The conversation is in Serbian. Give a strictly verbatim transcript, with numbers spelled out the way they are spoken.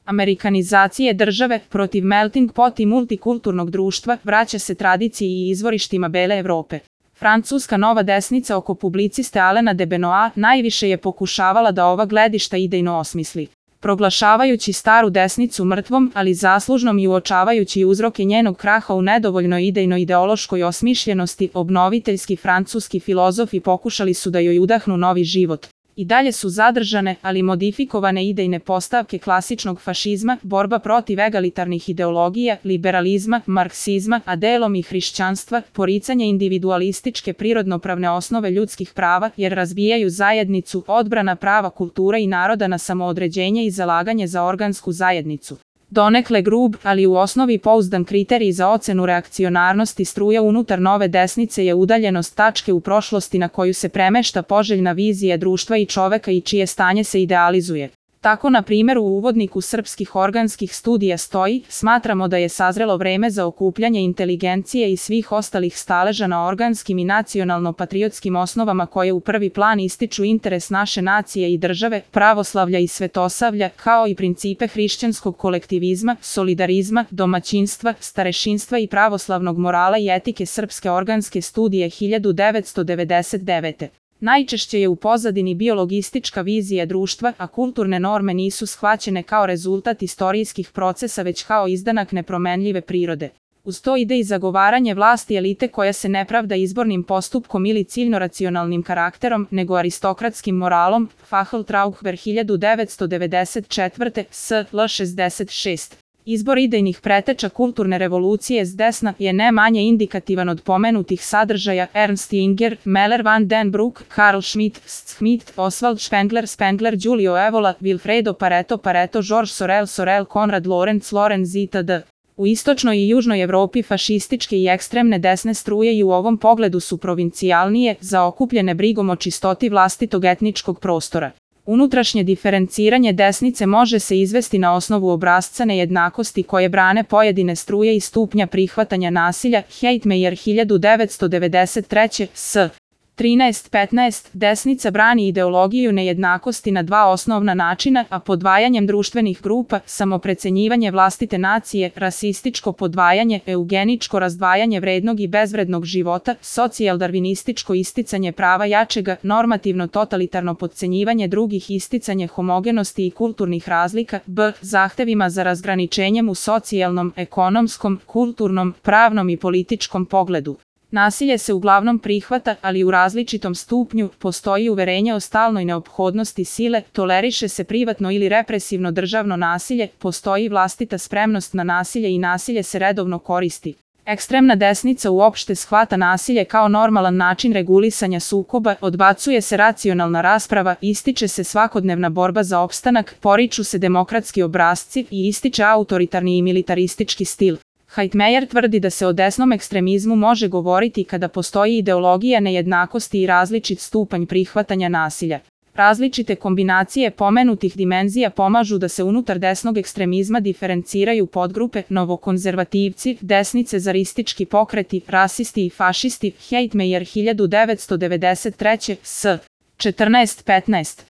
amerikanizacije države protiv melting pot i multikulturnog društva vraća se tradiciji i izvorištima bele Evrope. Francuska nova desnica oko publiciste Alena de Benoit najviše je pokušavala da ova gledišta idejno osmisli. Proglašavajući staru desnicu mrtvom, ali zaslužnom i uočavajući uzroke njenog kraha u nedovoljnoj idejno-ideološkoj osmišljenosti, obnoviteljski francuski filozofi pokušali su da joj udahnu novi život. I dalje su zadržane, ali modifikovane idejne postavke klasičnog fašizma, borba protiv egalitarnih ideologija, liberalizma, marksizma, a delom i hrišćanstva, poricanje individualističke prirodnopravne osnove ljudskih prava, jer razbijaju zajednicu, odbrana prava kultura i naroda na samoodređenje i zalaganje za organsku zajednicu. Donekle grub, ali u osnovi pouzdan kriterij za ocenu reakcionarnosti struja unutar nove desnice je udaljenost tačke u prošlosti na koju se premešta poželjna vizija društva i čoveka i čije stanje se idealizuje. Tako, na primjer, u uvodniku srpskih organskih studija stoji: smatramo da je sazrelo vreme za okupljanje inteligencije i svih ostalih staleža na organskim i nacionalno-patriotskim osnovama koje u prvi plan ističu interes naše nacije i države, pravoslavlja i svetosavlja, kao i principe hrišćanskog kolektivizma, solidarizma, domaćinstva, starešinstva i pravoslavnog morala i etike. Srpske organske studije hiljadu devetsto devedeset devete. Najčešće je u pozadini biologistička vizija društva, a kulturne norme nisu shvaćene kao rezultat istorijskih procesa već kao izdanak nepromenljive prirode. Uz to ide i zagovaranje vlasti elite koja se ne pravda izbornim postupkom ili ciljno racionalnim karakterom, nego aristokratskim moralom. Facheltrauber hiljadu devetsto devedeset četvrte. S L šezdeset šest. Izbor idejnih preteča kulturne revolucije s desna je ne manje indikativan od pomenutih sadržaja: Ernst Jünger, Meller van den Broek, Carl Schmitt, Schmitt, Oswald Spengler, Spengler, Giulio Evola, Wilfredo Pareto, Pareto, Georges Sorel, Sorel, Konrad Lorenz, Lorenz itd. U istočnoj i južnoj Evropi fašističke i ekstremne desne struje i u ovom pogledu su provincijalnije, zaokupljene brigom o čistoti vlastitog etničkog prostora. Unutrašnje diferenciranje desnice može se izvesti na osnovu obrasca nejednakosti koje brane pojedine struje i stupnja prihvatanja nasilja. Heitmeyer hiljadu devetsto devedeset treće. S trinaest petnaest. Desnica brani ideologiju nejednakosti na dva osnovna načina, a podvajanjem društvenih grupa: samoprecenjivanje vlastite nacije, rasističko podvajanje, eugeničko razdvajanje vrednog i bezvrednog života, socijaldarvinističko isticanje prava jačega, normativno totalitarno podcenjivanje drugih, isticanje homogenosti i kulturnih razlika. B. Zahtevima za razgraničenjem u socijalnom, ekonomskom, kulturnom, pravnom i političkom pogledu. Nasilje se uglavnom prihvata, ali u različitom stupnju. Postoji uverenje o stalnoj neophodnosti sile, toleriše se privatno ili represivno državno nasilje, postoji vlastita spremnost na nasilje i nasilje se redovno koristi. Ekstremna desnica uopšte shvata nasilje kao normalan način regulisanja sukoba, odbacuje se racionalna rasprava, ističe se svakodnevna borba za opstanak, poriču se demokratski obrasci i ističe autoritarni i militaristički stil. Heitmeyer tvrdi da se o desnom ekstremizmu može govoriti kada postoji ideologija nejednakosti i različit stupanj prihvatanja nasilja. Različite kombinacije pomenutih dimenzija pomažu da se unutar desnog ekstremizma diferenciraju podgrupe: novokonzervativci, desnicezaristički pokreti, rasisti i fašisti. Heitmeyer hiljadu devetsto devedeset treće. S četrnaest petnaest.